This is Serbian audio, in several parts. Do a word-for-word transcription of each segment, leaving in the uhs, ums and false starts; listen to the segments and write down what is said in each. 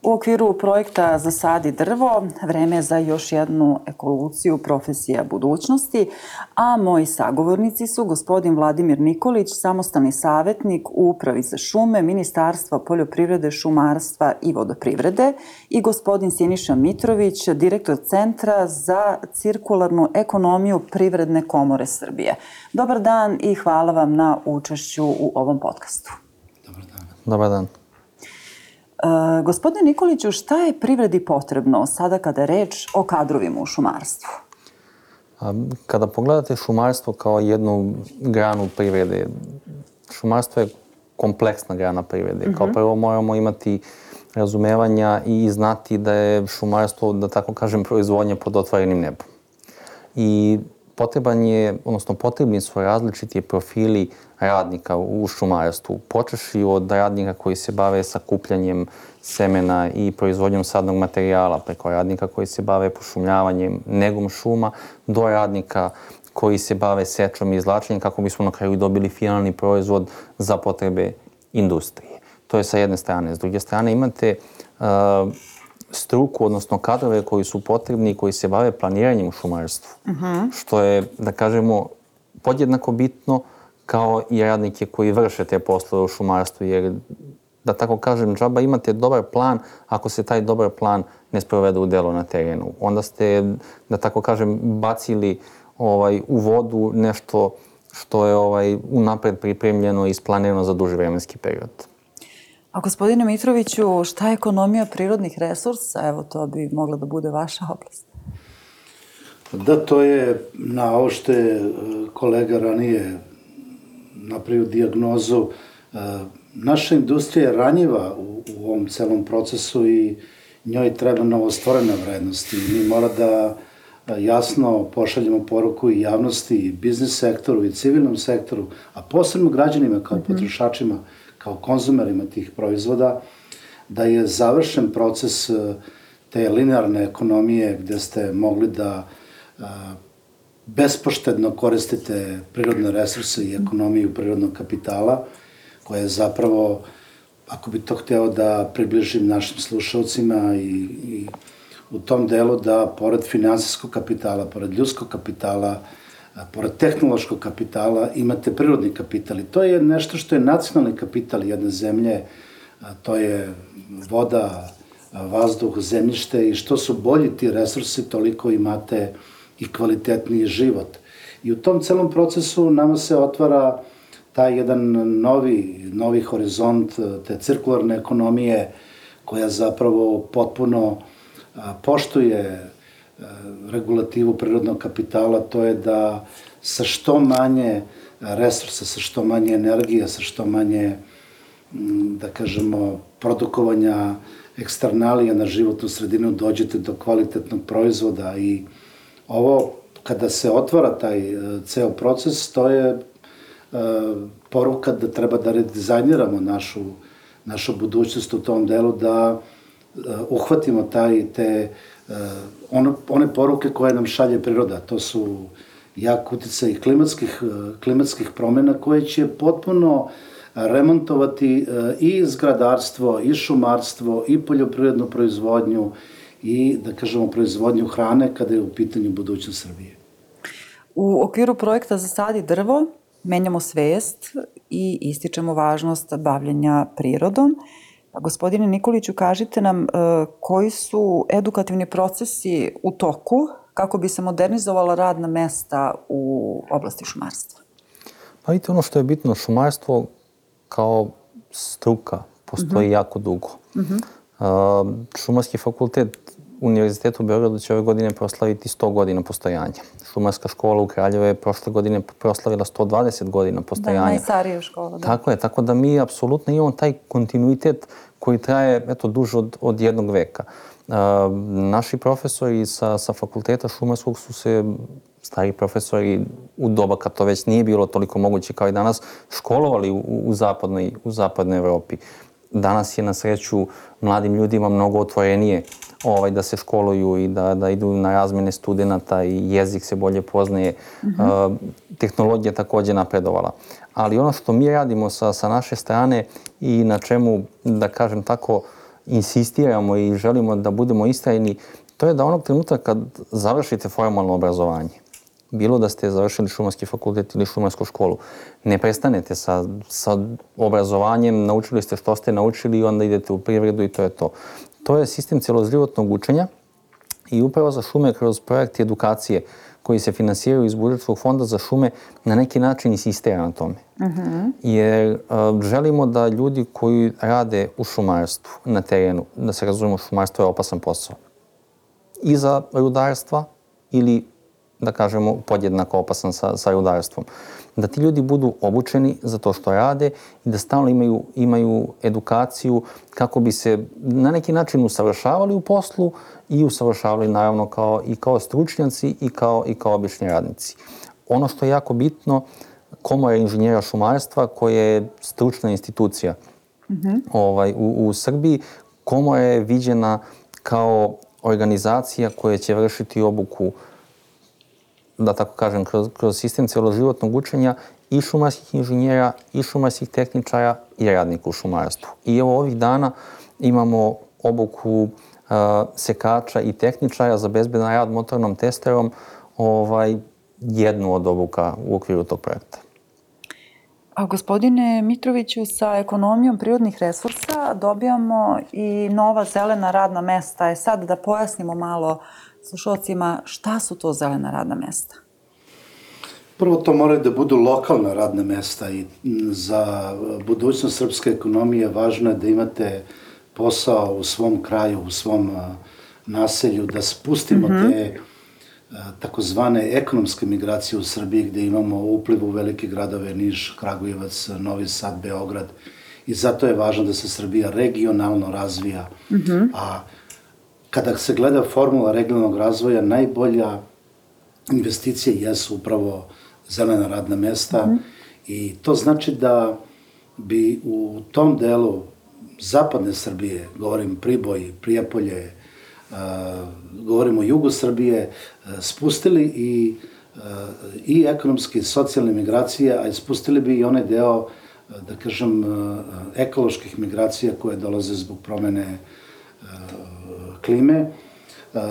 U okviru projekta Zasadi drvo, vreme je za još jednu evoluciju profesija budućnosti, a moji sagovornici su gospodin Vladimir Nikolić, samostalni savjetnik u Upravi za šume, Ministarstva poljoprivrede, šumarstva i vodoprivrede, i gospodin Siniša Mitrović, direktor Centra za cirkularnu ekonomiju Privredne komore Srbije. Dobar dan i hvala vam na učešću u ovom podcastu. Dobar dan. Dobar dan. Uh, gospodine Nikoliću, šta je privredi potrebno sada kada je reč o kadrovima u šumarstvu? Kada pogledate šumarstvo kao jednu granu privrede, šumarstvo je kompleksna grana privrede. Uh-huh. Kao prvo moramo imati razumevanja i znati da je šumarstvo, da tako kažem, proizvodnja pod otvorenim nebom. I potreban je, odnosno potrebni su različiti profili radnika u šumarstvu. Počeši od radnika koji se bave sakupljanjem semena i proizvodnjom sadnog materijala, preko radnika koji se bave pošumljavanjem, negom šuma, do radnika koji se bave sečom i izvlačenjem kako bismo na kraju dobili finalni proizvod za potrebe industrije. To je sa jedne strane. S druge strane imate uh, struku, odnosno kadrove koji su potrebni i koji se bave planiranjem u šumarstvu. Uh-huh. Što je, da kažemo, podjednako bitno kao i radnike koji vrše te poslove u šumarstvu, jer, da tako kažem, džaba imate dobar plan ako se taj dobar plan ne sprovede u delo na terenu. Onda ste, da tako kažem, bacili ovaj, u vodu nešto što je ovaj, unapred pripremljeno i isplanirano za duži vremenski period. A gospodine Mitroviću, šta je ekonomija prirodnih resursa? Evo, to bi mogla da bude vaša oblast. Da, to je na ovo što je kolega ranije napravio dijagnozu. Naša industrija je ranjiva u, u ovom celom procesu i njoj treba novostvorena vrednost. I mi mora da jasno pošaljemo poruku i javnosti, i biznis sektoru, i civilnom sektoru, a posebno građanima kao mm-hmm. potrošačima, kao konzumerima tih proizvoda, da je završen proces te linearne ekonomije gde ste mogli da a, bespoštedno koristite prirodne resurse i ekonomiju prirodnog kapitala, koja je zapravo, ako bi to hteo da približim našim slušalcima, i, i u tom delu da pored finansijskog kapitala, pored ljudskog kapitala, pored tehnološkog kapitala imate prirodni kapital. I to je nešto što je nacionalni kapital jedne zemlje, to je voda, vazduh, zemljište, i što su bolji ti resursi, toliko imate i kvalitetniji život. I u tom celom procesu nama se otvara taj jedan novi, novi horizont te cirkularne ekonomije, koja zapravo potpuno poštuje regulativu prirodnog kapitala. To je da sa što manje resursa, sa što manje energije, sa što manje, da kažemo, produkovanja eksternalija na životnu sredinu dođete do kvalitetnog proizvoda. I ovo, kada se otvara taj ceo proces, to je uh, poruka da treba da redizajniramo našu, našu budućnost u tom delu, da uh, uhvatimo taj, te uh, ono, one poruke koje nam šalje priroda. To su jak uticaj klimatskih, uh, klimatskih promjena koje će potpuno remontovati uh, i zgradarstvo, i šumarstvo, i poljoprivrednu proizvodnju, i, da kažemo, proizvodnju hrane kada je u pitanju budućnost Srbije. U okviru projekta Zasadi drvo menjamo svest i ističemo važnost bavljenja prirodom. Gospodine Nikoliću, kažite nam uh, koji su edukativni procesi u toku kako bi se modernizovala radna mesta u oblasti šumarstva? Pa vidite, ono što je bitno, šumarstvo kao struka postoji uh-huh. jako dugo. Uh-huh. Uh, Šumarski fakultet Univerziteta u Beogradu će ove godine proslaviti sto godina postojanja. Šumarska škola u Kraljevu je prošle godine proslavila sto dvadeset godina postojanja. Da, najstarija škola. Da. Tako je, tako da mi apsolutno imamo taj kontinuitet koji traje, eto, duže od, od jednog veka. Uh, naši profesori sa, sa fakulteta šumarskog su se, stari profesori u doba kad to već nije bilo toliko moguće kao i danas, školovali u, u, zapadnoj, u zapadnoj Evropi. Danas je na sreću mladim ljudima mnogo otvorenije ovaj, da se školuju i da, da idu na razmene studenata i jezik se bolje poznaje. Mm-hmm. Uh, tehnologija također napredovala. Ali ono što mi radimo sa, sa naše strane i na čemu, da kažem tako, insistiramo i želimo da budemo istrajni, to je da onog trenutka kad završite formalno obrazovanje, bilo da ste završili šumarski fakultet ili šumarsku školu, ne prestanete sa, sa obrazovanjem, naučili ste što ste naučili i onda idete u privredu i to je to. To je sistem cjeloživotnog učenja i upravo za šume kroz projekti edukacije koji se finansiraju iz budžetskog fonda za šume na neki način insistira na tome. Uh-huh. Jer uh, želimo da ljudi koji rade u šumarstvu na terenu, da se razumemo, šumarstvo je opasan posao. I za rudarstva ili, da kažemo, podjednako opasan sa, sa rudarstvom. Da ti ljudi budu obučeni za to što rade i da stalno imaju, imaju edukaciju kako bi se na neki način usavršavali u poslu i usavršavali naravno kao, i kao stručnjaci i kao, i kao obični radnici. Ono što je jako bitno, Komora inženjera šumarstva koja je stručna institucija mm-hmm. ovaj, u, u Srbiji, Komora je viđena kao organizacija koja će vršiti obuku, da tako kažem, kroz, kroz sistem cjeloživotnog učenja i šumarskih inženjera, i šumarskih tehničara i radnika u šumarstvu. I evo ovih dana imamo obuku uh, sekača i tehničara za bezbedan rad motornom testerom, ovaj, jednu od obuka u okviru tog projekta. A gospodine Mitroviću, sa ekonomijom prirodnih resursa dobijamo i nova zelena radna mesta. E sad da pojasnimo malo slušalcima šta su to zelena radna mesta. Prvo, to moraju da budu lokalna radna mesta i za budućnost srpske ekonomije važno je da imate posao u svom kraju, u svom naselju, da spustimo mm-hmm. te takozvane ekonomske migracije u Srbiji gde imamo upliv u velike gradove, Niš, Kragujevac, Novi Sad, Beograd. I zato je važno da se Srbija regionalno razvija. Mm-hmm. A kada se gleda formula regionalnog razvoja, najbolja investicije jesu upravo zelena radna mesta. Mm-hmm. I to znači da bi u tom delu zapadne Srbije, govorim Priboj, Prijepolje, Uh, govorimo o jugu Srbije, uh, spustili i, uh, i ekonomske i socijalne migracije, a spustili bi i onaj deo, uh, da kažem, uh, ekoloških migracija koje dolaze zbog promene uh, klime. Uh,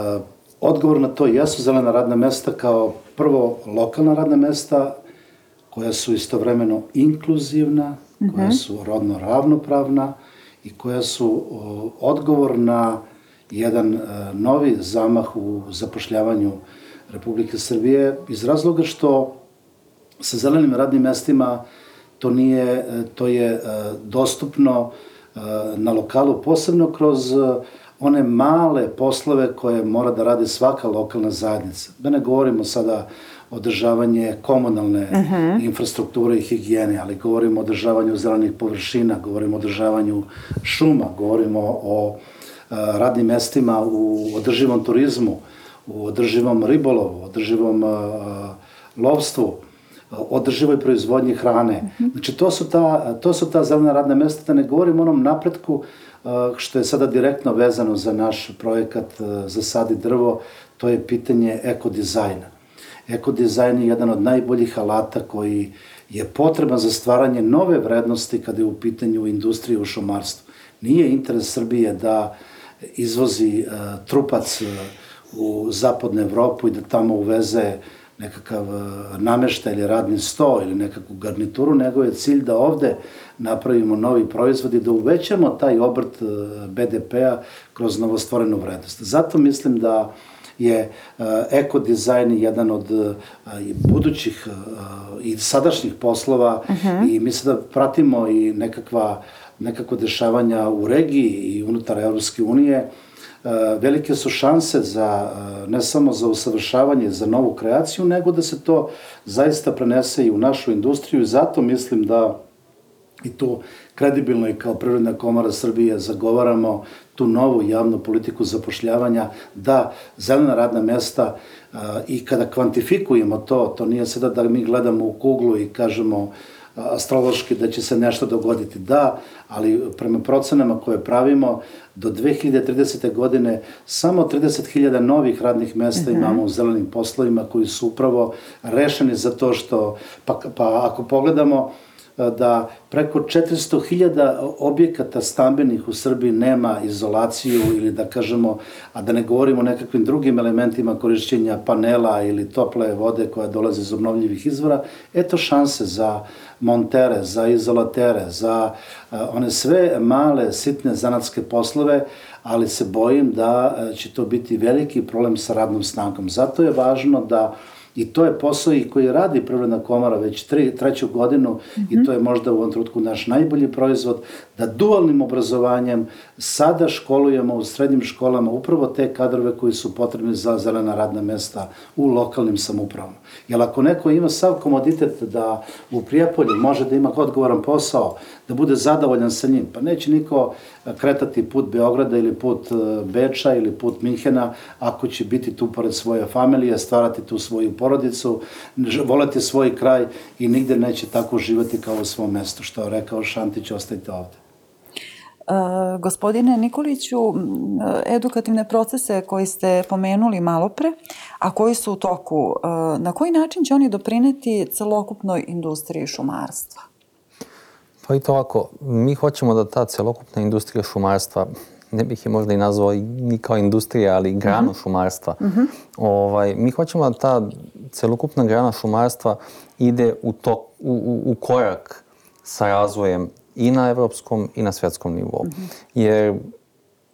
odgovor na to jesu zelena radna mesta kao prvo lokalna radna mesta koja su istovremeno inkluzivna, mm-hmm. koja su rodno ravnopravna i koja su uh, odgovor na jedan uh, novi zamah u zapošljavanju Republike Srbije iz razloga što sa zelenim radnim mestima to nije, to je uh, dostupno uh, na lokalu, posebno kroz uh, one male poslove koje mora da radi svaka lokalna zajednica. Da ne govorimo sada o održavanje komunalne uh-huh. infrastrukture i higijene, ali govorimo o održavanju zelenih površina, govorimo o održavanju šuma, govorimo o radnim mestima u održivom turizmu, u održivom ribolovu, održivom uh, lovstvu, održivoj proizvodnji hrane. Mm-hmm. Znači, to su, ta, to su ta zelena radna mesta, da ne govorim o onom napretku uh, što je sada direktno vezano za naš projekat uh, Zasadi drvo, to je pitanje ekodizajna. Ekodizajn je jedan od najboljih alata koji je potreban za stvaranje nove vrednosti kada je u pitanju industrije u šumarstvu. Nije interes Srbije da izvozi uh, trupac uh, u zapadnu Evropu i da tamo uveze nekakav uh, nameštaj ili radni sto ili nekakvu garnituru, nego je cilj da ovde napravimo novi proizvod i da uvećamo taj obrt uh, be de pe-a kroz novostvorenu vrednost. Zato mislim da je uh, ekodizajn jedan od uh, budućih uh, i sadašnjih poslova uh-huh. i mislim da pratimo i nekakva nekako dešavanja u regiji i unutar Evropske unije, velike su šanse za, ne samo za usavršavanje, za novu kreaciju, nego da se to zaista prenese i u našu industriju i zato mislim da i tu kredibilno i kao Privredna komora Srbije zagovaramo tu novu javnu politiku zapošljavanja, da zelena radna mesta i kada kvantifikujemo to, to nije sada da mi gledamo u kuglu i kažemo astrološki da će se nešto dogoditi. Da, ali prema procenama koje pravimo, do dve hiljade tridesete. godine samo trideset hiljada novih radnih mesta uh-huh. imamo u zelenim poslovima koji su upravo rešeni za to što, pa, pa ako pogledamo da preko četiristo hiljada objekata stambenih u Srbiji nema izolaciju ili da kažemo, a da ne govorimo o nekakvim drugim elementima korišćenja panela ili tople vode koja dolaze iz obnovljivih izvora, eto šanse za montere, za izolatere, za one sve male, sitne zanatske poslove, ali se bojim da će to biti veliki problem sa radnom snagom. Zato je važno da, i to je posao i koji radi Privredna komora već tri, treću godinu, mm-hmm. i to je možda u ovom trenutku naš najbolji proizvod, da dualnim obrazovanjem sada školujemo u srednjim školama upravo te kadrove koji su potrebni za zelena radna mesta u lokalnim samoupravama. Jer ako neko ima sav komoditet da u Prijepolju može da ima odgovoran posao, da bude zadovoljan sa njim, pa neće niko kretati put Beograda ili put Beča ili put Minhena ako će biti tu pored svoje familije, stvarati tu svoju porodicu, voleti svoj kraj i nigde neće tako živati kao u svom mestu. Što je rekao Šantić, ostajte ovde. Uh, gospodine Nikoliću, edukativne procese koji ste pomenuli malo pre, a koji su u toku, uh, na koji način će oni doprineti celokupnoj industriji šumarstva? Pa i to ovako, mi hoćemo da ta celokupna industrija šumarstva, ne bih je možda i nazvao ni kao industrija, ali granu uh-huh. šumarstva, uh-huh. ovaj, mi hoćemo da ta celokupna grana šumarstva ide u, to, u, u, u korak sa razvojem i na evropskom i na svetskom nivou. Mm-hmm. Jer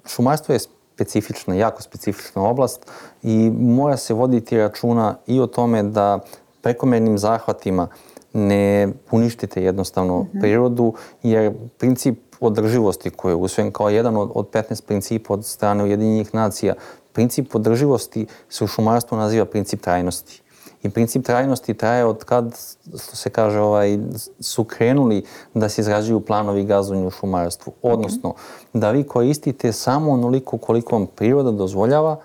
šumarstvo je specifična, jako specifična oblast i mora se voditi računa i o tome da prekomernim zahvatima ne uništite jednostavno mm-hmm. prirodu, jer princip održivosti koji je usvojen kao jedan od, od petnaest principa od strane Ujedinjenih nacija, princip održivosti se u šumarstvu naziva princip trajnosti. I princip trajnosti traje od kad, što se kaže, ovaj, su krenuli da se izrađuju planovi gazdovanja u šumarstvu. Odnosno, da vi koristite samo onoliko koliko vam priroda dozvoljava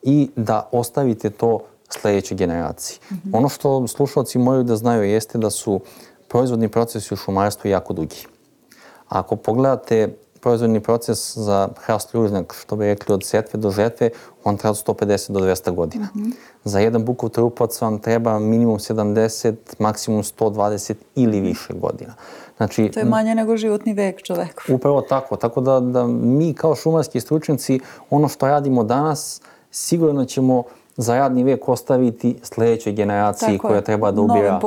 i da ostavite to sledećoj generaciji. Mm-hmm. Ono što slušalci moraju da znaju jeste da su proizvodni procesi u šumarstvu jako dugi. Ako pogledate proizvodni proces za hrast lužnjak, što bi rekli od setve do žetve, on treba od sto pedeset do dvesta godina. Mm-hmm. Za jedan bukov trupac vam treba minimum sedamdeset, maksimum sto dvadeset ili više godina. Znači, to je manje nego životni vek čoveka. Upravo tako. Tako da, da mi kao šumarski stručnjaci ono što radimo danas sigurno ćemo za radni vek ostaviti sledećoj generaciji koja treba da ubira,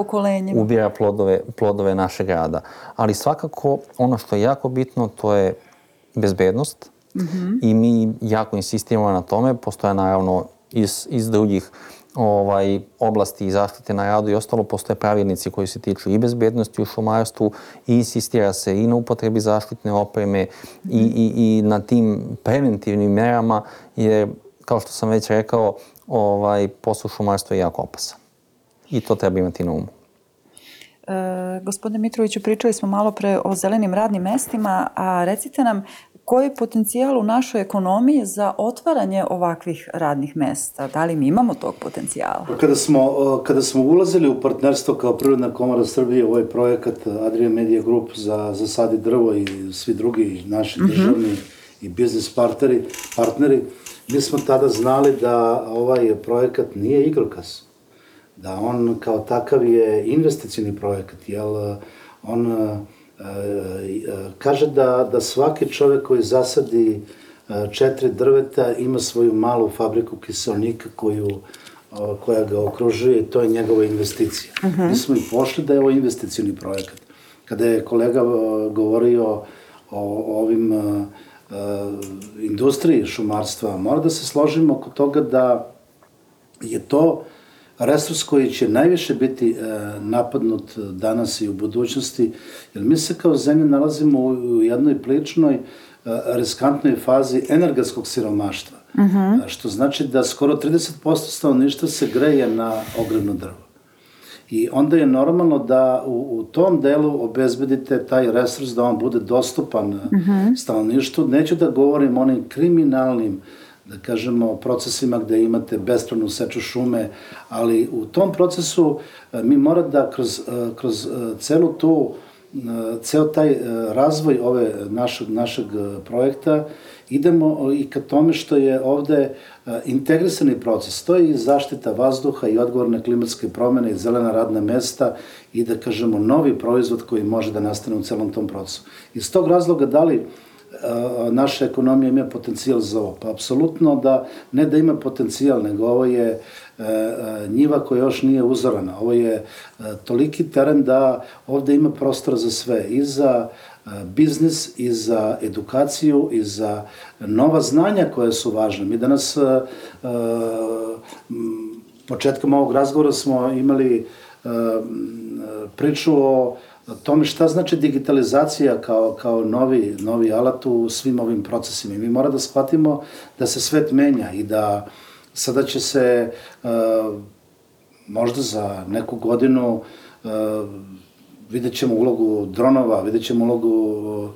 ubira plodove, plodove našeg rada. Ali svakako ono što je jako bitno to je bezbednost mm-hmm. i mi jako insistiramo na tome. Postoje naravno iz, iz drugih ovaj, oblasti i zaštite na radu i ostalo, postoje pravilnici koji se tiču i bezbednosti u šumarstvu i insistira se i na upotrebi zaštitne opreme mm-hmm. i, i, i na tim preventivnim merama, jer kao što sam već rekao, ovaj, posao šumarstva je jako opasan. I to treba imati na umu. E, gospodine Mitroviću, pričali smo malo pre o zelenim radnim mestima, a recite nam koji je potencijal u našoj ekonomiji za otvaranje ovakvih radnih mesta? Da li mi imamo tog potencijala? Kada smo, kada smo ulazili u partnerstvo kao Privredna komora Srbije u ovaj projekat Adria Media Group za, za sad i drvo i svi drugi naši mm-hmm. državni i biznis partneri, partneri, mi smo tada znali da ovaj projekat nije igrokaz, da on kao takav je investicioni projekat, jer on e, e, kaže da, da svaki čovek koji zasadi e, četiri drveta ima svoju malu fabriku kiselnika koju, o, koja ga okružuje i to je njegova investicija. Uh-huh. Mi smo i pošli da je ovo investicioni projekat. Kada je kolega o, govorio o, o ovim o, Uh, industriji šumarstva, mora da se složimo oko toga da je to resurs koji će najviše biti uh, napadnut danas i u budućnosti, jer mi se kao zemlja nalazimo u, u jednoj priličnoj uh, riskantnoj fazi energetskog siromaštva, uh-huh. što znači da skoro trideset posto stanovništva se greje na ogrevno drvo. I onda je normalno da u, u tom delu obezbedite taj resurs da on bude dostupan mm-hmm. stanovništvu. Neću da govorim o onim kriminalnim, da kažemo, procesima gde imate bespravnu seču šume, ali u tom procesu mi mora da kroz, kroz celu tu ceo taj razvoj ove našeg, našeg projekta idemo i ka tome što je ovde integrisani proces. To je i zaštita vazduha i odgovor na klimatske promene i zelena radna mesta i da kažemo novi proizvod koji može da nastane u celom tom procesu. Iz tog razloga da li naša ekonomija ima potencijal za ovo? Pa apsolutno da, ne da ima potencijal, nego ovo je njiva koja još nije uzorana. Ovo je toliki teren da ovde ima prostora za sve, i za biznis, i za edukaciju, i za nova znanja koja su važna. Mi danas, početkom ovog razgovora smo imali priču o tome šta znači digitalizacija kao, kao novi, novi alat u svim ovim procesima. Mi moramo da shvatimo da se svet menja i da sada će se možda za neku godinu vidjet ćemo ulogu dronova, vidjet ćemo ulogu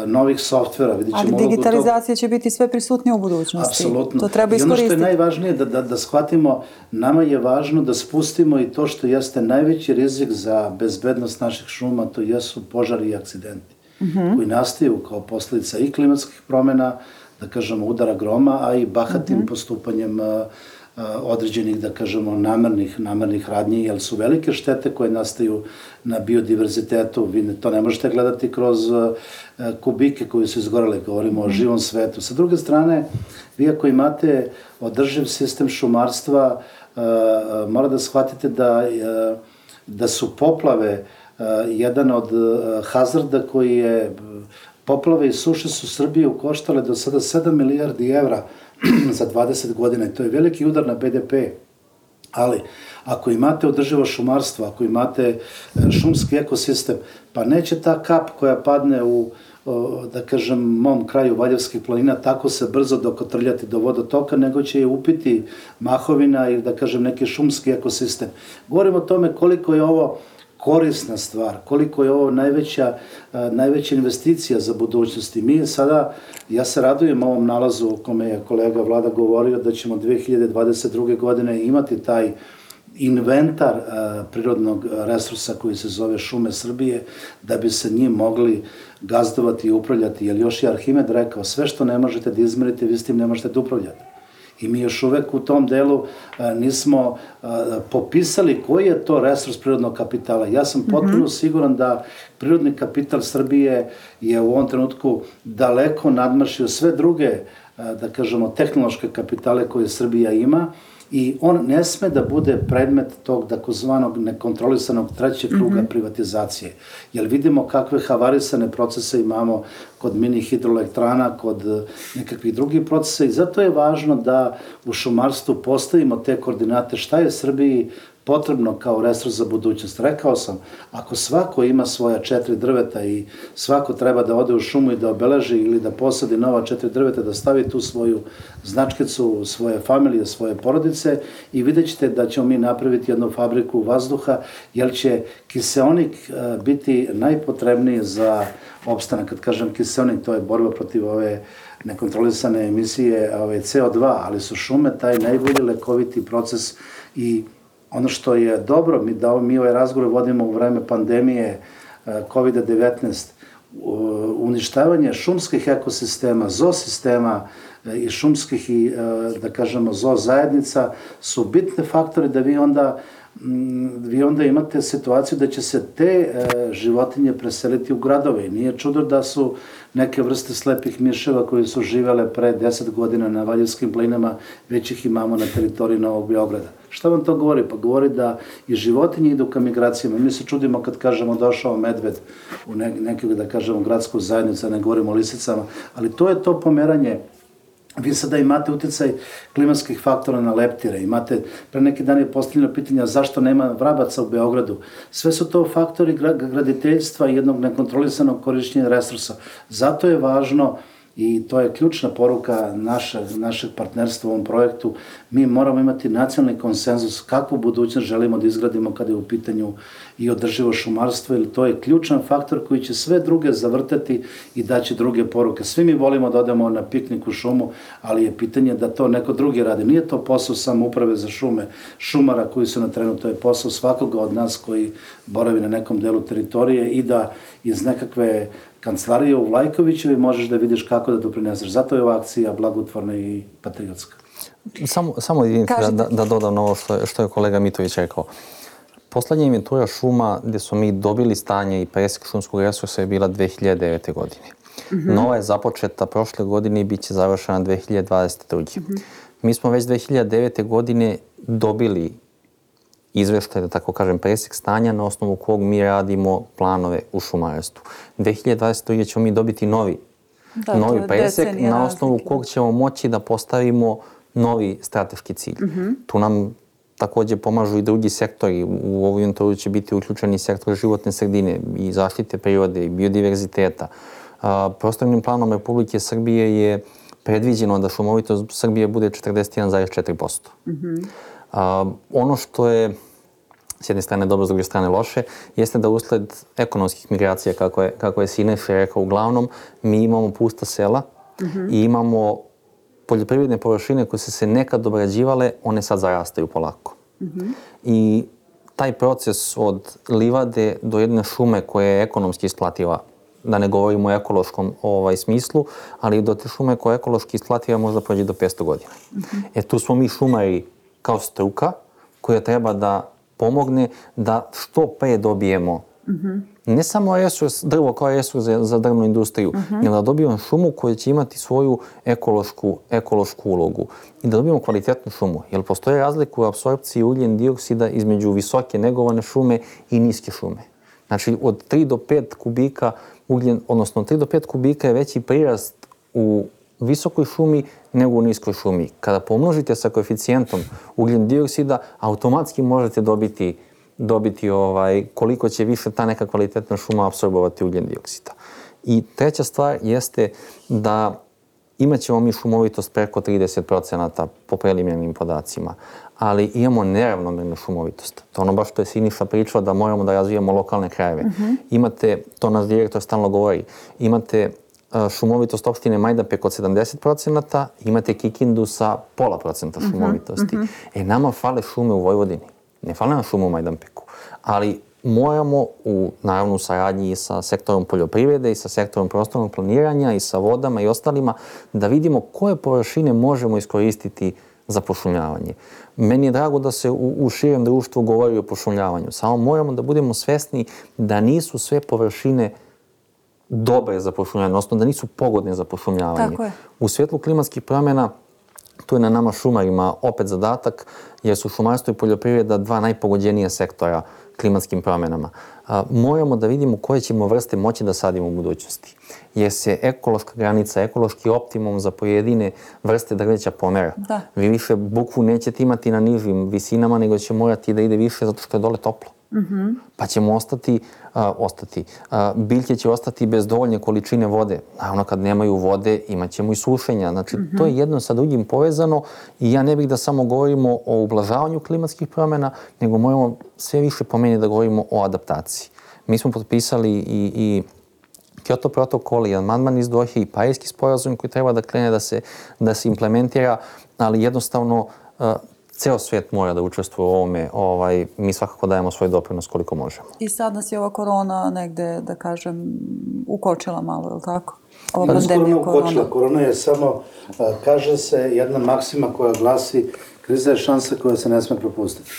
novih softvera, vidjet ćemo ulogu tog... Ali digitalizacija će biti sve prisutnija u budućnosti. Apsolutno. To treba iskoristiti. I ono što je najvažnije da, da, da shvatimo, nama je važno da spustimo i to što jeste najveći rizik za bezbednost naših šuma, to jesu požari i akcidenti, mm-hmm. koji nastaju kao posledica i klimatskih promena, da kažemo udara groma, a i bahatim mm-hmm. postupanjem određenih, da kažemo, namernih, namernih radnji, jer su velike štete koje nastaju na biodiverzitetu. Vi to ne možete gledati kroz kubike koji su izgorele, govorimo o živom svetu. Sa druge strane, vi ako imate održiv sistem šumarstva, mora da shvatite da, da su poplave jedan od hazarda koji je... Poplave i suše su Srbiju koštale do sada sedam milijardi evra za dvadeset godina i to je veliki udar na be de pe. Ali, ako imate održivo šumarstvo, ako imate šumski ekosistem, pa neće ta kap koja padne u, da kažem, mom kraju Valjevskih planina tako se brzo dokotrljati do vodotoka, nego će je upiti mahovina ili, da kažem, neki šumski ekosistem. Govorim o tome koliko je ovo korisna stvar, koliko je ovo najveća, najveća investicija za budućnost. I mi sada, ja se radujem ovom nalazu o kome je kolega Vlada govorio da ćemo dve hiljade dvadeset druge. godine imati taj inventar prirodnog resursa koji se zove šume Srbije, da bi se njim mogli gazdovati i upravljati. Jer još je Arhimed rekao, sve što ne možete da izmerite, vi s tim ne možete da upravljate. I mi još uvek u tom delu nismo popisali koji je to resurs prirodnog kapitala. Ja sam potpuno siguran da prirodni kapital Srbije je u ovom trenutku daleko nadmašio sve druge, da kažemo, tehnološke kapitale koje Srbija ima i on ne sme da bude predmet tog takozvanog nekontrolisanog trećeg kruga privatizacije. Jer vidimo kakve havarisane procese imamo kod mini hidroelektrana, kod nekakvih drugih procesa i zato je važno da u šumarstvu postavimo te koordinate šta je Srbiji potrebno kao resurs za budućnost. Rekao sam, ako svako ima svoja četiri drveta i svako treba da ode u šumu i da obeleži ili da posadi nova četiri drveta, da stavi tu svoju značkicu, svoje familije, svoje porodice i vidjet ćete da ćemo mi napraviti jednu fabriku vazduha, jer će kiseonik biti najpotrebniji za opstanak. Kad kažem kiseonik, to je borba protiv ove nekontrolisane emisije ove ce o dva, ali su šume taj najbolji lekoviti proces i ono što je dobro, mi, da mi ovaj razgovor vodimo u vreme pandemije kovid devetnaest, uništavanje šumskih ekosistema, zoosistema i šumskih i, da kažemo, zoo zajednica su bitne faktori da vi onda vi onda imate situaciju da će se te životinje preseliti u gradove. Nije čudo da su neke vrste slepih miševa koji su živele pre deset godina na Valjevskim planinama, već ih imamo na teritoriji Novog Beograda. Šta vam to govori? Pa govori da i životinje idu ka migracijama. Mi se čudimo kad kažemo došao medved u nekog, da kažemo, gradsku zajednicu, ne govorimo o lisicama, ali to je to pomeranje. Vi sada imate uticaj klimatskih faktora na leptire, imate, pre neki dan je postavljeno pitanja zašto nema vrabaca u Beogradu. Sve su to faktori graditeljstva i jednog nekontrolisanog korišćenja resursa. Zato je važno i to je ključna poruka naše, našeg partnerstva u ovom projektu. Mi moramo imati nacionalni konsenzus kakvu budućnost želimo da izgradimo kada je u pitanju i održivo šumarstvo, jer to je ključan faktor koji će sve druge zavrtati i daći druge poruke. Svi mi volimo da odemo na piknik u šumu, ali je pitanje da to neko drugi radi. Nije to posao samo uprave za šume, šumara koji su na terenu, to je posao svakoga od nas koji boravi na nekom delu teritorije i da iz nekakve kancelarije u Vlajkovićevi možeš da vidiš kako da doprineseš. Zato je ova akcija blagotvorna i patriotska. Samo, samo jedinice da, da, da dodam na ovo što je, što je kolega Mitović rekao. Poslednja inventura šuma gde smo mi dobili stanje i presek šumskog resursa je bila dve hiljade devete. godine. Mm-hmm. Nova je započeta prošle godine i bit će završena dve hiljade dvadeset druge. Mm-hmm. Mi smo već dve hiljade devete. godine dobili izveštaj, da tako kažem, presek stanja na osnovu kog mi radimo planove u šumarstvu. dve hiljade dvadeset druge. ćemo mi dobiti novi, da, novi presek na osnovu razlike. Kog ćemo moći da postavimo novi strateški cilj. Mm-hmm. Tu nam takođe pomažu i drugi sektori. U ovu inventuru će biti uključeni sektor životne sredine i zaštite prirode i biodiverziteta. Prostornim planom Republike Srbije je predviđeno da šumovitost Srbije bude četrdeset jedan zarez četiri posto. Mm-hmm. Ono što je s jedne strane dobro, s druge strane loše, jeste da usled ekonomskih migracija, kako je, kako je Sinefe rekao, uglavnom mi imamo pusta sela mm-hmm. i imamo poljoprivredne površine koje su se nekad obrađivale, one sad zarastaju polako. Mm-hmm. I taj proces od livade do jedne šume koja je ekonomski isplativa, da ne govorimo o ekološkom ovaj, smislu, ali do te šume koja je ekološki isplativa možda prođe do petsto godina. Mm-hmm. E tu smo mi šumari kao struka koja treba da pomogne da što pre dobijemo mm-hmm. ne samo resurs, drvo kao resurs za, za drvnu industriju, mm-hmm. nego da dobijemo šumu koja će imati svoju ekološku, ekološku ulogu i da dobijemo kvalitetnu šumu. Jer postoje razlika u apsorpciji ugljen dioksida između visoke negovane šume i niske šume. Znači od tri do pet kubika ugljen, odnosno tri do pet kubika je veći prirast u visokoj šumi nego u niskoj šumi. Kada pomnožite sa koeficijentom ugljen dioksida, automatski možete dobiti dobiti ovaj, koliko će više ta neka kvalitetna šuma apsorbovati ugljen dioksida. I treća stvar jeste da imat ćemo mi šumovitost preko trideset procenata po preliminarnim podacima, ali imamo neravnomernu šumovitost. To ono baš što je Siniša pričao da moramo da razvijamo lokalne krajeve. Mm-hmm. Imate, to naš direktor stalno govori, imate uh, šumovitost opštine Majdanpek od sedamdeset procenata, imate Kikindu sa pola procenta šumovitosti. Mm-hmm. E, nama fale šume u Vojvodini. Ne fale nam šume u Majdanpeku, ali moramo u, naravno, u saradnji i sa sektorom poljoprivrede i sa sektorom prostornog planiranja i sa vodama i ostalima da vidimo koje površine možemo iskoristiti za pošumljavanje. Meni je drago da se u, u širem društvu govori o pošumljavanju. Samo moramo da budemo svesni da nisu sve površine dobre za pošumljavanje, odnosno da nisu pogodne za pošumljavanje. Tako je. U svjetlu klimatskih promjena tu je na nama šumarima opet zadatak, jer su šumarstvo i poljoprivreda dva najpogođenija sektora klimatskim promjenama. A, moramo da vidimo koje ćemo vrste moći da sadimo u budućnosti. Jer se ekološka granica, ekološki optimum za pojedine vrste drveća pomera. Da. Vi više bukvu nećete imati na nižim visinama, nego će morati da ide više zato što je dole toplo. Mm-hmm. Pa ćemo ostati, a, ostati. A, biljke će ostati bez dovoljne količine vode. Naravno, kad nemaju vode, imat ćemo i sušenja. Znači, mm-hmm. to je jedno sa drugim povezano i ja ne bih da samo govorimo o ublažavanju klimatskih promjena, nego moramo sve više po meni da govorimo o adaptaciji. Mi smo potpisali i, i Kyoto protokol i amandman iz Dohe i Parijski sporazum koji treba da krene da se, da se implementira, ali jednostavno uh, ceo svijet mora da učestvuje u ovome. Ovaj, mi svakako dajemo svoj doprinos koliko možemo. I sad nas je ova korona negde, da kažem, ukočila malo, je li tako? Ova pa pandemija korona ukočila. Korona je samo, kaže se, jedna maksima koja glasi kriza je šansa koja se ne sme propustiti.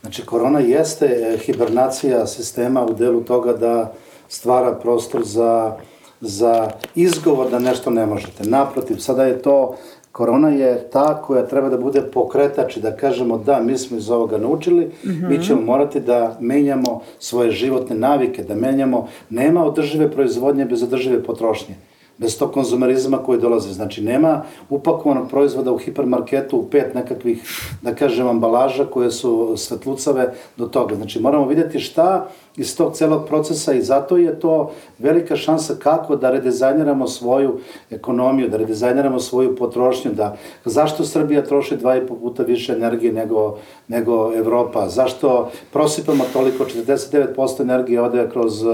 Znači, korona jeste hibernacija sistema u delu toga da stvara prostor za, za izgovor da nešto ne možete. Naprotiv, sada je to, korona je ta koja treba da bude pokretač i da kažemo da, mi smo iz ovoga naučili, mm-hmm. mi ćemo morati da menjamo svoje životne navike, da menjamo, nema održive proizvodnje bez održive potrošnje. Bez tog konzumerizma koji dolaze. Znači, nema upakovanog proizvoda u hipermarketu u pet nekakvih, da kažem, ambalaža koje su svetlucave do toga. Znači, moramo vidjeti šta iz tog celog procesa i zato je to velika šansa kako da redizajniramo svoju ekonomiju, da redizajniramo svoju potrošnju, da zašto Srbija troši dva i po puta više energije nego, nego Evropa, zašto prosipamo toliko, četrdeset devet posto energije ode kroz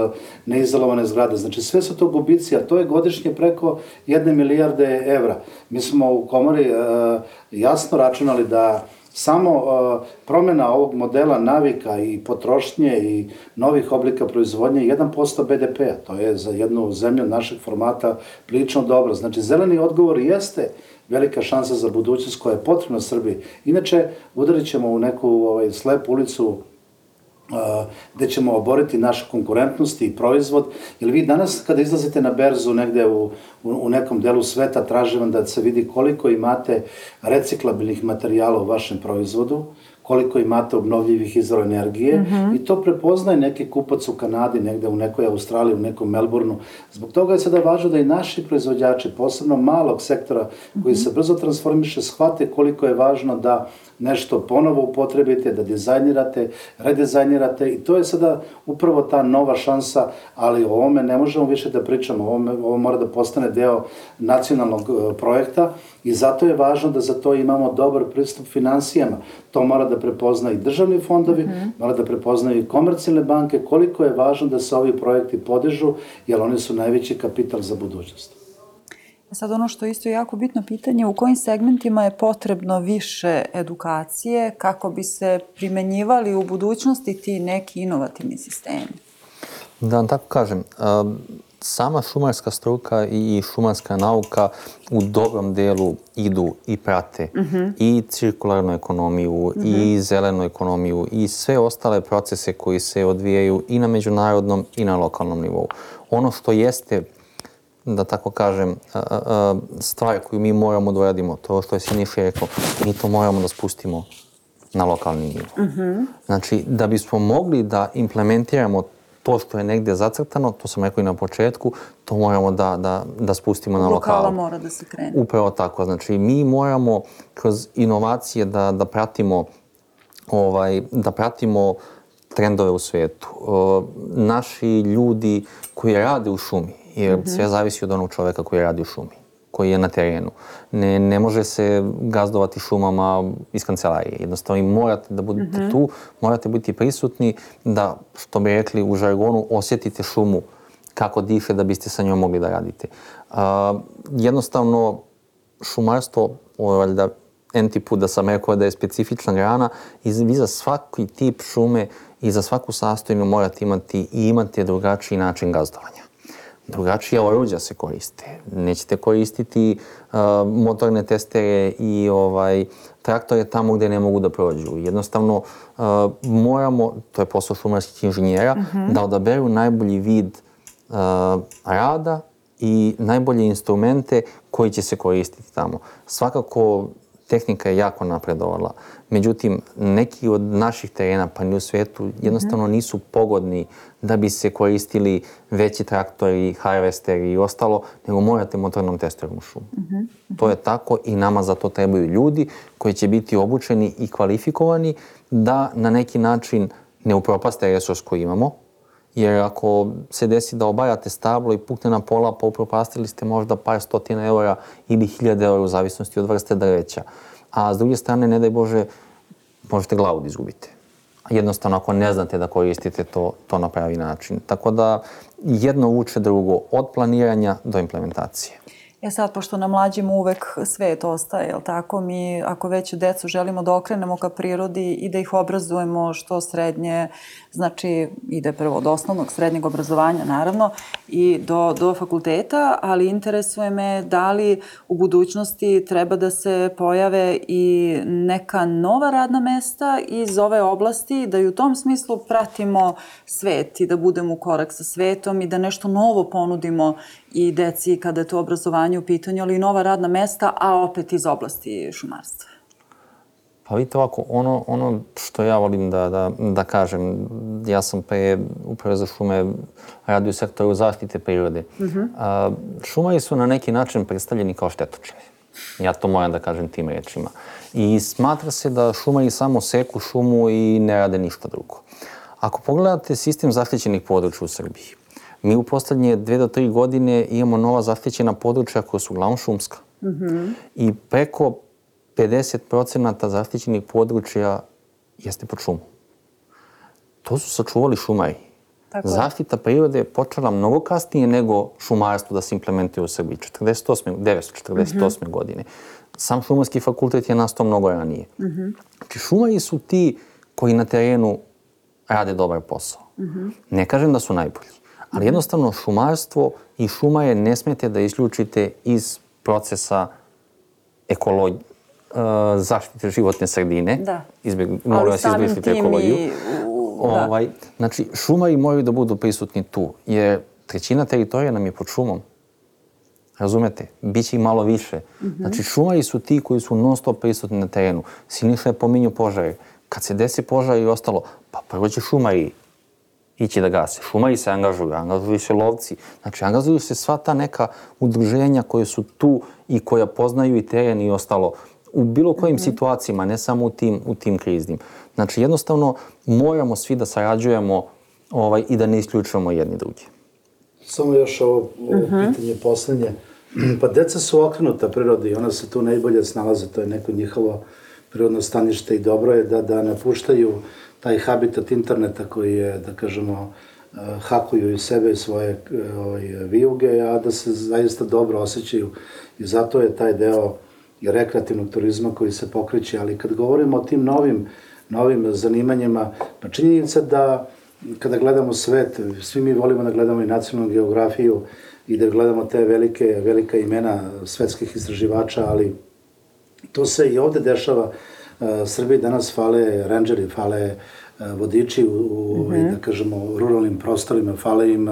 neizolovane zgrade. Znači sve su to gubici, a to je godišnje preko jedne milijarde evra. Mi smo u komori uh, jasno računali da samo uh, promjena ovog modela navika i potrošnje i novih oblika proizvodnje je jedan posto be de pe a. To je za jednu zemlju našeg formata prilično dobro. Znači, zeleni odgovor jeste velika šansa za budućnost koja je potrebna Srbiji. Inače, udarit ćemo u neku ovaj, slepu ulicu Uh, gde ćemo oboriti našu konkurentnost i proizvod, jer vi danas kada izlazite na berzu negde u, u, u nekom delu sveta, traži vam da se vidi koliko imate reciklabilnih materijala u vašem proizvodu, koliko imate obnovljivih izvora energije mm-hmm. i to prepoznaje neki kupac u Kanadi, negde u nekoj Australiji, u nekom Melbourneu. Zbog toga je sada važno da i naši proizvođači, posebno malog sektora koji mm-hmm. se brzo transformiše, shvate koliko je važno da nešto ponovo upotrebite, da dizajnirate, redizajnirate i to je sada upravo ta nova šansa, ali o ovome ne možemo više da pričamo, ovo, ovo mora da postane deo nacionalnog uh, projekta i zato je važno da za to imamo dobar pristup finansijama. To mora da prepozna i državni fondovi, mm-hmm. mora da prepoznaju i komercijalne banke, koliko je važno da se ovi projekti podižu, jer oni su najveći kapital za budućnost. Sad ono što je isto jako bitno pitanje, u kojim segmentima je potrebno više edukacije kako bi se primenjivali u budućnosti ti neki inovativni sistemi? Da vam tako kažem, sama šumarska struka i šumarska nauka u dobrom delu idu i prate mm-hmm. i cirkularnu ekonomiju mm-hmm. i zelenu ekonomiju i sve ostale procese koji se odvijaju i na međunarodnom i na lokalnom nivou. Ono što jeste, da tako kažem, stvar koju mi moramo da uradimo, to što je Siniša rekao, mi to moramo da spustimo na lokalni nivo. Mm-hmm. Znači, da bismo mogli da implementiramo to što je negde zacrtano, to sam rekao i na početku, to moramo da, da, da spustimo na lokalu. Lokala mora da se krene. Upravo tako. Znači, mi moramo kroz inovacije da, da pratimo ovaj, da pratimo trendove u svetu. O, naši ljudi koji rade u šumi, jer mm-hmm. sve zavisi od onog čoveka koji radi u šumi, koji je na terenu. Ne, ne može se gazdovati šumama iz kancelarije. Jednostavno, morate da budete mm-hmm. tu, morate biti prisutni, da, što bi rekli u žargonu, osjetite šumu kako diše da biste sa njom mogli da radite. Uh, jednostavno, šumarstvo, ovo je valjda enti put da sam rekao da je specifična grana i vi za svaki tip šume i za svaku sastojinu morate imati i imate drugačiji način gazdovanja. Drugačija oruđa se koriste. Nećete koristiti uh, motorne testere i ovaj, traktore tamo gde ne mogu da prođu. Jednostavno, uh, moramo, to je posao šumarskih inženjera, mm-hmm. da odaberu najbolji vid uh, rada i najbolje instrumente koji će se koristiti tamo. Svakako, tehnika je jako napredovala. Međutim, neki od naših terena, pa ni u svetu, jednostavno nisu pogodni da bi se koristili veći traktori, harvesteri i ostalo, nego morate motornom testerom u šumu. Mm-hmm. To je tako i nama za to trebaju ljudi koji će biti obučeni i kvalifikovani da na neki način ne upropaste resurs koji imamo. Jer ako se desi da obajate stablo i pukne na pola, pa upropastili ste možda par stotina eura ili hiljade eura u zavisnosti od vrste drveća. A s druge strane, ne daj Bože, možete glavu da izgubite. Jednostavno, ako ne znate da koristite to, to na pravi način. Tako da jedno uče drugo, od planiranja do implementacije. E sad, pošto na mlađima uvek svet ostaje, jel tako? Mi, ako već decu želimo da okrenemo ka prirodi i da ih obrazujemo što srednje, znači ide prvo od osnovnog, srednjeg obrazovanja, naravno, i do, do fakulteta, ali interesuje me da li u budućnosti treba da se pojave i neka nova radna mesta iz ove oblasti, da i u tom smislu pratimo svet i da budemo u korak sa svetom i da nešto novo ponudimo i deci kada je to obrazovanje u pitanju, ali i nova radna mesta, a opet iz oblasti šumarstva. Pa vidite ovako, ono, ono što ja volim da, da, da kažem, ja sam pre uprave za šume radio u sektoru zaštite prirode. Mm-hmm. A, šumari su na neki način predstavljeni kao štetočine. Ja to moram da kažem tim rečima. I smatra se da šumari samo seku šumu i ne rade ništa drugo. Ako pogledate sistem zaštićenih područja u Srbiji, mi u poslednje dve do tri godine imamo nova zaštićena područja koja su uglavnom šumska. Mm-hmm. I preko pedeset procenata zaštićenih područja jeste pod šumom. To su sačuvali šumari. Tako Zaštita prirode je počela mnogo kasnije nego šumarstvo da se implementuje u Srbiji, devetsto četrdeset osme. Mm-hmm. godine. Sam šumarski fakultet je nastao mnogo ranije. Mm-hmm. Znači, šumari su ti koji na terenu rade dobar posao. Mm-hmm. Ne kažem da su najbolji, ali jednostavno šumarstvo i šumare ne smete da isključite iz procesa ekologije, zaštite životne sredine. Da. Izbjeg, molim vas, izbrišite ekologiju. I, u, ovaj, znači, šumari moraju da budu prisutni tu, jer trećina teritorija nam je pod šumom. Razumete? Biće ih malo više. Mm-hmm. Znači, šumari su ti koji su non stop prisutni na terenu. Siniša je pominju požare. Kad se desi požar i ostalo, pa prvo će šumari ići da gase. Šumari se angažuju, angažuju se lovci. Znači, angažuju se sva ta neka udruženja koje su tu i koja poznaju i teren i ostalo. U bilo kojim mm-hmm. situacijama, ne samo u tim, u tim kriznim. Znači, jednostavno, moramo svi da sarađujemo ovaj, i da ne isključujemo jedni drugi. Samo još ovo, ovo uh-huh. pitanje poslednje. Pa deca su okrenuta prirodi i ona se tu najbolje snalaze, to je neko njihovo prirodno stanište i dobro je da, da napuštaju taj habitat interneta koji je, da kažemo, hakuju i sebe i svoje ovaj, vijuge, a da se zaista dobro osjećaju i zato je taj deo i rekreativnog turizma koji se pokreće, ali kad govorimo o tim novim, novim zanimanjima, pa činjenica da kada gledamo svet, svi mi volimo da gledamo i nacionalnu geografiju i da gledamo te velike, velika imena svetskih istraživača, ali to se i ovde dešava. Srbiji danas fale rangeri, fale vodiči u, u mm-hmm. da kažemo, ruralnim prostorima, fale im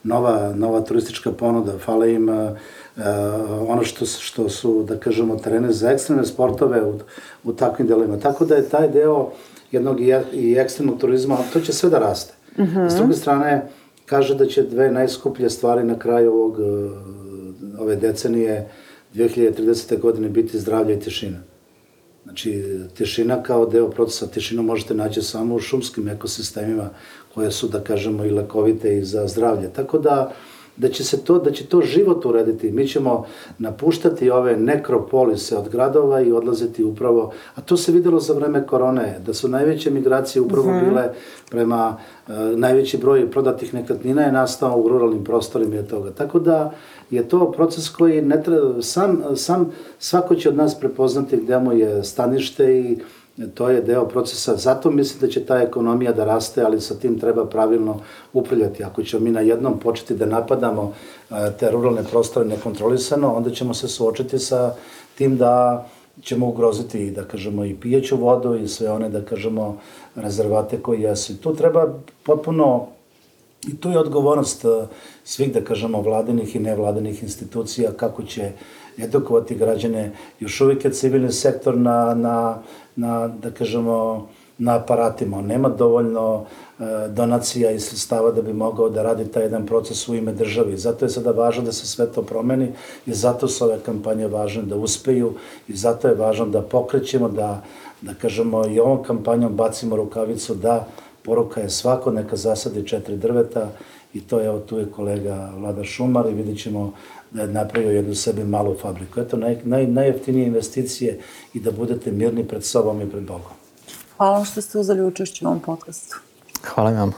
nova, nova turistička ponuda, fale im uh, ono što, što su, da kažemo, terene za ekstremne sportove u, u takvim delima. Tako da je taj deo jednog i, i ekstremnog turizma, to će sve da raste. Mm-hmm. S druge strane, kaže da će dve najskuplje stvari na kraju ovog, ove decenije dve hiljade tridesete. godine biti zdravlje i tišina. Znači, tišina kao deo procesa, tišinu možete naći samo u šumskim ekosistemima koje su, da kažemo, i lekovite i za zdravlje. Tako da, da će se to, da će to život urediti. Mi ćemo napuštati ove nekropolise od gradova i odlaziti upravo, a to se videlo za vreme korone, da su najveće migracije upravo mm-hmm. bile prema, uh, najveći broj prodatih nekretnina je nastao u ruralnim prostorima i od toga. Tako da je to proces koji ne treba, sam, sam svako će od nas prepoznati gde mu je stanište i to je deo procesa. Zato mislim da će ta ekonomija da raste, ali sa tim treba pravilno upravljati. Ako ćemo mi na jednom početi da napadamo te ruralne prostore nekontrolisano, onda ćemo se suočiti sa tim da ćemo ugroziti, da kažemo, i pijeću vodu i sve one, da kažemo, rezervate koji jesu. Tu treba potpuno, i tu je odgovornost svih, da kažemo, vladinih i nevladinih institucija, kako će edukovati građane. Još uvijek je civilni sektor na, na, na da kažemo, na aparatima. On nema dovoljno e, donacija i sredstava da bi mogao da radi taj jedan proces u ime državi. Zato je sada važno da se sve to promeni i zato su ove kampanje važne da uspeju i zato je važno da pokrećemo, da, da kažemo, i ovom kampanjom bacimo rukavicu da poruka je svako neka zasadi četiri drveta i to je, evo tu je kolega Vlada Šumar i vidjet ćemo da je napravio jednu sebi malu fabriku. Eto, naj, naj, najjeftinije investicije i da budete mirni pred sobom i pred Bogom. Hvala vam što ste uzeli učešće u ovom podcastu. Hvala vam.